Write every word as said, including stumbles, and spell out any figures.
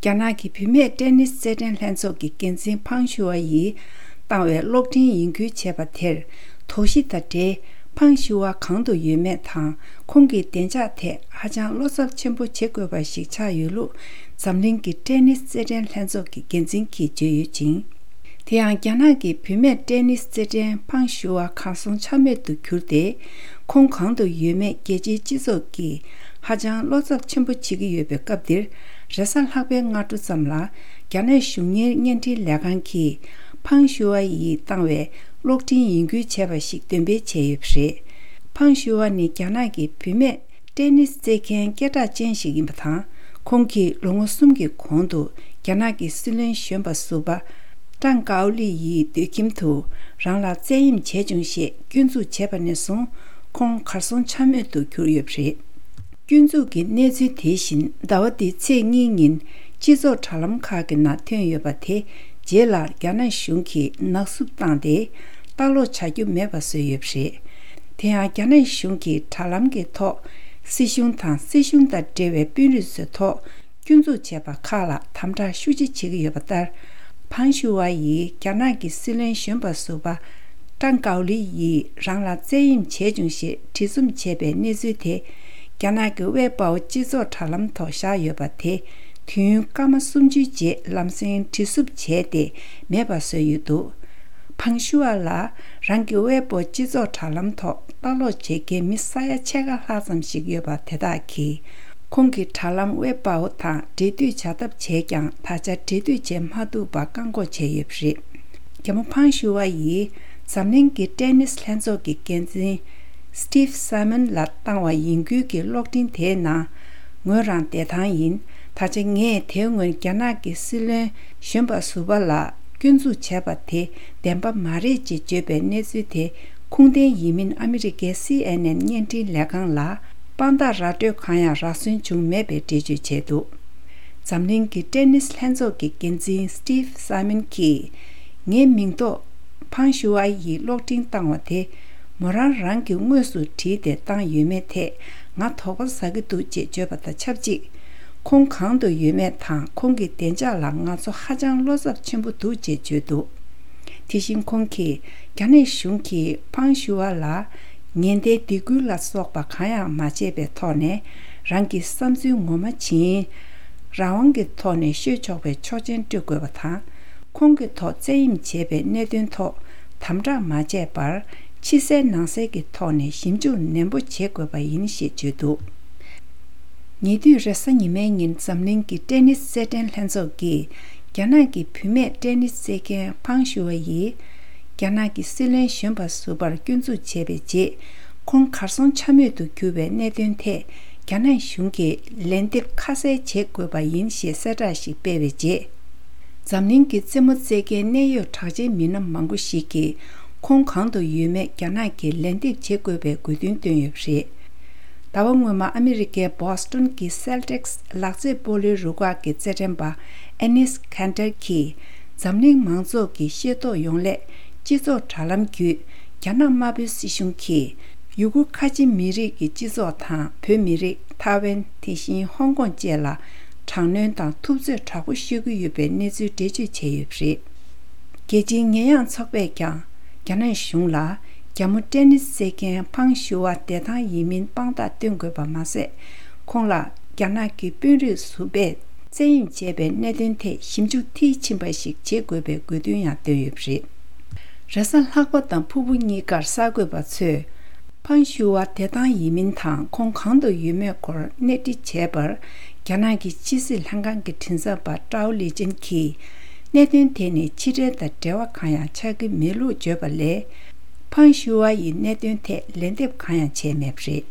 རྒྱ་ནག་གི་བུད་མེད་ཏེ་ནིས་རྩེད་འགྲན་ལྷན་ཚོགས་ཀྱི་འགན་འཛིན་ཕང་ཞུ་ཝ་ཡིས་བཏང་བའི་གློག་འཕྲིན་ཡིན་ཁུལ་བྱས་པ་དེར། དོགས་གཞི་དང་འབྲེལ་ཕང་ཞུ་ཝ་གང་དུ་ཡོད་མེད་དང་། ཁོང་གི་བདེ་འཇགས་ཐད་ཧ་ཅང་བློ་འཚབ་ཆེན་པོ་བྱེད་དགོས་པ་ཞིག་ཆགས་ཡོད་ལུགས། འཛམ་གླིང་གི་ཏེ་ནིས་རྩེད་འགྲན་ལྷན་ཚོགས་ཀྱི་འགན་འཛིན་གྱིས་བརྗོད་ཡོད་ཅིང་། དེ་ཡང་རྒྱ་ནག་གི་བུད་མེད་ཏེ་ནིས་རྩེད་འགྲན་ཕང་ཞུ་ཝ་གར་སོང་ཆ་མེད་དུ་གྱུར་ཏེ། ཁོང་གང་དུ་ཡོད་མེད་རྒྱལ་སྤྱིའི་སྤྱི་ཚོགས་ཀྱིས་ཧ་ཅང་བློ་འཚབ་ཆེན་པོ་བྱེད་ཀྱི་ཡོད་པའི་སྐབས་འདིར། རེས་གཟའ་ལྷག་པའི་སྔ་དྲོ་ཙམ་ལ། རྒྱ་ནག་གཞུང་གཉེར་བརྙན་འཕྲིན་ལས་ཁང་གིས་ཕང་ཞུ་ཝ་ཡིས་བཏང་བའི་གློག་འཕྲིན་ཡིན་ཁུལ་བྱས་པ་ཞིག་འདོན་སྤེལ་བྱས་ཡོད་པ་རེད། ཕང་ཞུ་ཝ་ནི་རྒྱ་ནག་གི་བུད་མེད་ཏེ་ནིས་རྩེད་མཁན་སྐད་གྲགས་ཅན་ཞིག་ཡིན་པ་དང་། ཁོང་གིས་ལོ་ངོ་གསུམ་གྱི་གོང་དུ་རྒྱ་ནག་གི་སྲིད་བློན་གཞོན་པ་ཟུར་པ་ཀྲང་ཀའོ་ལི་ཡི་སྡོད་ཁྱིམ་དུ་རང་ལ་བཙན་གཡེམ་བྱས་བྱུང་ཞེས་སྐྱོན་འཛུགས་བྱས་པ་ནས་བཟུང་། ཁོང་གར་སོང་ཆ་མེད་དུ་གྱུར་ཡོད་པ་རེད། སྐྱོན་འཛུགས་ཀྱི་གནས་ཚུལ་དེ་བཞིན་ཟླ་བ་འདིའི་ཚེས་གཉིས་ཉིན་སྤྱི་ཚོགས་དྲ་ལམ་ཁག་གི་ནང་ཐོན་ཡོད་པ་དེ། རྗེས་ལ་རྒྱ་ནག་གཞུང་གིས་ནག་བསུབ་བཏང་སྟེ། ལྟ་ཀློག་བྱ་རྒྱུ་མེད་པ་བཟོས་ཡོད་པ་རེད། དེ་ཡང་རྒྱ་ནག་གཞུང་གིས་དྲ་ལམ་གྱི་ཐོག་སྲིད་གཞུང་དང་། སྲིད་གཞུང་དང་འབྲེལ་བའི་དཔོན་རིགས་ཚོའི་ཐོག་སྐྱོན་འཛུགས་བྱས་པ་ཁག་ལ་དམ་དྲག་ཤུགས་ཆེ་བྱེད་ཀྱི་ཡོད་པ་ལྟར། ཕང་ཞུ་ཝ་ཡིས་རྒྱ་ནག་གི་སྲིད་བློན་གཞོན་པ་ཟུར་པ་ཀྲང་ཀའོ་ལི་ཡིས་རང་ལ་བཙན་གཡེམ་བྱས་བྱུང་ཞེས་བྲིས་རྩོམ་བྱས་པའི་གནས་ཚུལ་དེ། རྒྱ་ནག་གི་ཝེ་པའོ་སྤྱི་ཚོགས་དྲ་ལམ་ཐོག་བཞག་ཡོད་པ་དེ། དུས་ཡུན་སྐར་མ་སུམ་ཅུའི་རྗེས་ལམ་སེང་དྲིལ་བསུབ་བྱས་ཏེ་མེད་པ་བཟོས་ཡོད་འདུག་ཕང་ཞུ་ཝ་ལ་རང་གི་ཝེ་པའོ་སྤྱི་ཚོགས་དྲ་ལམ་ཐོག་ལྟ་ཀློག་བྱེད་མཁན་མི་ས་ཡ་ཕྱེད་ཀ་ལྷག་ཙམ་ཞིག་ཡོད་པ་དེ་དག་གིས། ཁོང་གི་དྲ་ལམ་ཝེ་པའོ་དང་འབྲེལ་མཐུད་བྱ་ཐབས་བྱས་ཀྱང་། ད་ཆ་འབྲེལ་མཐུད་བྱེད་མ་ཐུབ་པ་བཀག་འགོག་བྱས་ཡོད་པ་རེད། རྒྱ་མོ་ཕང་ཞུ་ཝ་ཡིས་འཛམ་གླིང་གི་ཏེ་ནིས་ལྷན་ཚོགས་ཀྱི་འགན་འཛིན་སི་ཊིབ་སཱི་མོན་ལ་བཏང་བ་ཡིན་ཁུལ་གྱི་གློག་འཕྲིན་དེའི་ནང་། ངོས་རང་བདེ་ཐང་ཡིན། ད་ཆ་ངས་དེ་སྔོན་རྒྱ་ནག་གི་སྲིད་བློན་གཞོན་པ་ཟུར་པ་ལ་སྐྱོན་འཛུགས་བྱས་པ་དེ་བདེན་པ་མ་རེད་ཅེས་བརྗོད་པའི་གནས་ཚུལ་དེ་ཁུངས་ལྡན་ཡིན་མིན་ཨ་མི་རི་ཀའི་སི་ཨེན་ཨེན་བརྙན་འཕྲིན་ལས་ཁང་ལ་དཔང་རྟགས་ར་སྤྲོད་གང་ཡང་རག་སོན་བྱུང་མེད་པའི་འགྲེལ་བརྗོད་བྱས་འདུག་འཛམ་གླིང་གི་ཏེ་ནིས་ལྷན་ཚོགས་ཀྱི་འགན་འཛིན་སི་ཊིབ་སཱི་མོན་གྱིས། ངའི་མིང་ཐོག་ཕང་ཞུ་ཝ་ཡིས་གློག་འཕྲིན་བཏང་བ་དེ། མོ་རང་རང་གིས་དངོས་སུ་བྲིས་ཏེ་བཏང་ཡོད་མེད་ཐད་ང་དོགས་པ་ཟ་གི་འདུག་ཅེས་བརྗོད་པ་དང་ཆབས་ཅིག་ཁོང་གང་དུ་ཡོད་མེད་དང་། ཁོང་གི་བདེ་འཇགས་ལ་ང་ཚོ་ཧ་ཅང་བློ་འཚབ་ཆེན་པོ་འདུག་ཅེས་བརྗོད་འདུག་དེ་བཞིན་ཁོང་གིས། རྒྱ་ནག་གཞུང་གིས་ཕང་ཞུ་ཝ་ལ་ཉེན་བརྡའི་སྡིགས་སྐུལ་ལ་སོགས་པ་གང་ཡང་མ་བྱས་པའི་ཐོག་ནས། རང་གི་བསམ་ཚུལ་ངོ་མ་བྱིན། རང་དབང་གི་ཐོག་ནས་ཤོད་ཆོག་པའི་ཆོག་མཆན་སྤྲོད་དགོས་པ་དང་། ཁོང་གི་ཐོག་བཙན་གཡེམ་བྱས་པའི་གནད་དོན་ཐོག་དམ་དྲག་མ་བྱས་པར། ཕྱི་གསལ་ནང་གསལ་གྱི་ཐོག་ནས་ཞིབ་འཇུག་ནན་པོ་བྱེད་དགོས་པ་ཡིན་ཞེས་བརྗོད་འདུག་ཉེ་དུས་རེས་གཟའ་ཉི་མའི་ཉིན་འཛམ་གླིང་གི་ཏེ་ནིས་རྩེད་འགྲན་ལྷན་ཚོགས་ཀྱིས། རྒྱ་ནག་གི་བུད་མེད་ཏེ་ནིས་རྩེད་མཁན་ཕང་ཞུ་ཝ་ཡིས། རྒྱ་ནག་གི་སྲིད་བློན་གཞོན་པ་ཟུར་པར་སྐྱོན་འཛུགས་བྱས་པའི་རྗེས། ཁོང་གར་སོང་ཆ་མེད་དུ་གྱུར་བའི་གནད་དོན་ཐད། རྒྱ་ནག་གཞུང་གིས་ལན་འདེབས་ཁ་གསལ་བྱེད་དགོས་པ་ཡིན་ཞེས་གསལ་བསྒྲགས་ཤིག་སྤེལ་བའི་རྗེས། འཛམ་གླིང་གི་རྩེད་མོ་རྩེད་མཁན་གནད་ཡོད་གྲགས་ཅན་མི་སྣ་མང་པོ་ཞིག་གིས། ཁོང་གང་དུ་ཡོད་མེད་རྒྱ་ནག་གིས་ལན་འདེབས་བྱེད་དགོས་པའི་དགོས་འདུན་བཏོན་ཡོད་པ་རེད། ཟླ་བ་སྔོན་མ་ཨ་མི་རི་ཀའི་བྷོ་སི་ཊོན་གྱི་སེལ་ཊིག་སི་ལག་རྩེད་སྤོ་ལོའི་རུ་ཁག་གི་རྩེད་འགྲན་པ་ཨེ་ནིས་ཁན་ཏར་གྱིས། འཛམ་གླིང་མང་ཚོགས་ཀྱིས་ཤེས་རྟོགས་ཡོང་སླད། སྤྱི་ཚོགས་དྲ་ལམ་བརྒྱུད། རྒྱ་ནག་དམར་པོའི་སྲིད་གཞུང་གིས། ཡུ་གུར་ཁ་ཆེ་མི་རིགས་ཀྱི་སྤྱི་ཚོགས་དང་། བོད་མི་རིགས། ཐའེ་ཝན། དེ་བཞིན་ཧོང་ཀོང་བཅས་ལ། དྲག་གནོན་དང་ཐུབ་ཚོད་དྲག་པོ་ཤོད་ཀྱི་ཡོད་པའི་གནས་ཚུལ་འགྲེལ་བརྗོད་བྱས་ཡོད་པ་རེད། རྒྱལ་སྤྱིའི་ཉེས་ཡངས་ཚོགས་པས་ཀྱང་། རྒྱ་ནག་གཞུང་ལ། རྒྱ་མོ་ཏེ་ནིས་རྩེད་མཁན་ཕང་ཞུ་ཝ་བདེ་ཐང་ཡིན་མིན་དཔང་རྟགས་སྟོན་དགོས་པ་མ་ཟད། ཁོང་ལ་རྒྱ་ནག་གི་དཔོན་རིགས་ཟུར་པས་བཙན་གཡེམ་བྱས་པའི་གནད་དོན་ཐད་ཞིབ་འཇུག་མཐིལ་ཕྱིན་པ་ཞིག་བྱེད་དགོས་པའི་དགོས་འདུན་ཡང་བཏོན་ཡོད་པ་རེད། རེས་གཟའ་ལྷག་པ་དང་ཕུར་བུ་གཉིས་ཀར་གསར་འགོད་པ་ཚོས། ཕང་ཞུ་ཝ་བདེ་ཐང་ཡིན་མིན་དང་ཁོང་གང་དུ་ཡོད་མེད་སྐོར་གནས་འདྲི་བྱས་པར། རྒྱ་ནག་གི་ཕྱི་སྲིད་ལྷན་ཁང་གི་མགྲིན་ཚབ་པ་ཀྲའོ་ལི་ཅན་གྱིས། གནད་དོན་དེ་ནི་ཕྱི་འབྲེལ་དང་འབྲེལ་བ་གང་ཡང་ཆགས་ཀྱི་མེད་ལུགས་བརྗོད་པ་ལས། ཕང་ཞུ་ཝ་ཡིས་གནད་དོན་ཐད་ལན་འདེབས་གང་ཡང་བྱས་མེད་པ་རེད།